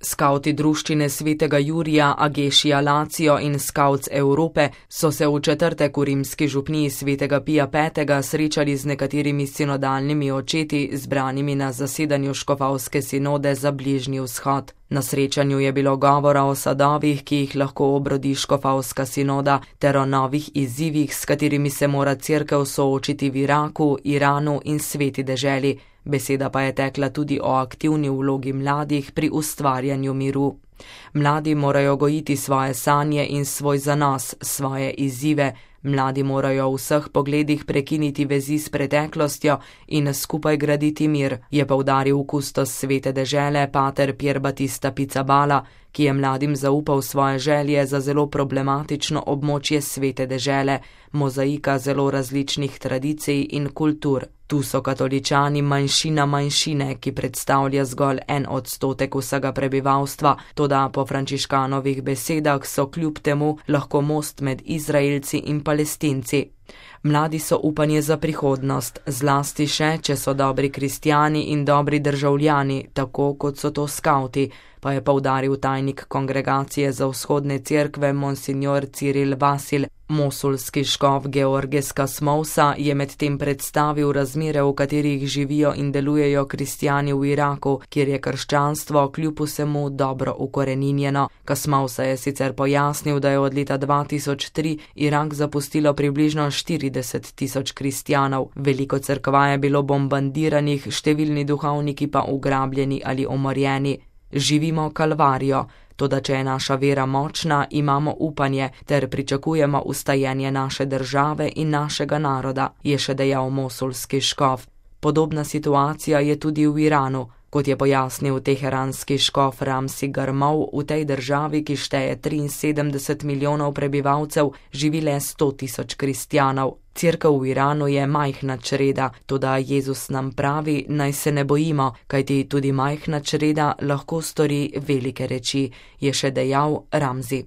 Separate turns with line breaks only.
Skavti druščine svetega Jurija, Agešija Lacio in Skavts Evrope so se v četrtek v rimski župniji svetega Pija V. srečali z nekaterimi sinodalnimi očeti, zbranimi na zasedanju škofovske sinode za Bližnji vzhod. Na srečanju je bilo govora o sadovih, ki jih lahko obrodi škofovska sinoda, ter o novih izzivih, s katerimi se mora cerkev soočiti v Iraku, Iranu in sveti deželi. Beseda pa je tekla tudi o aktivni vlogi mladih pri ustvarjanju miru. Mladi morajo gojiti svoje sanje in svoj zanos, svoje izzive. Mladi morajo v vseh pogledih prekiniti vezi s preteklostjo in skupaj graditi mir, je poudaril kustos svete dežele pater Pier Battista Pizzaballa, ki je mladim zaupal svoje želje za zelo problematično območje svete dežele, mozaika zelo različnih tradicij in kultur. Tu so katoličani manjšina manjšine, ki predstavlja zgolj 1% vsega prebivalstva, toda po Frančiškanovih besedah so kljub temu lahko most med Izraelci in Palestinci. Mladi so upanje za prihodnost, zlasti še, če so dobri kristjani in dobri državljani, tako kot so to skavti, pa je poudaril tajnik Kongregacije za vzhodne cerkve monsignor Ciril Vasil. Mosulski škof Georges Kasmousa je medtem predstavil razmere, v katerih živijo in delujejo kristjani v Iraku, kjer je krščanstvo kljub vsemu dobro ukoreninjeno. Kasmousa je sicer pojasnil, da je od leta 2003 Irak zapustilo približno 40.000 kristjanov. Veliko cerkva je bilo bombardiranih, številni duhovniki pa ugrabljeni ali umorjeni. Živimo kalvarijo, toda če je naša vera močna, imamo upanje ter pričakujemo ustajenje naše države in našega naroda, je še dejal mosulski škof. Podobna situacija je tudi v Iranu. Kot je pojasnil teheranski škof Ramsi Garmov, v tej državi, ki šteje 73 milijonov prebivalcev, živi le 100.000 kristjanov. Cerkev v Iranu je majhna čreda, toda Jezus nam pravi, naj se ne bojimo, kajti tudi majhna čreda lahko stori velike reči, je še dejal Ramzi.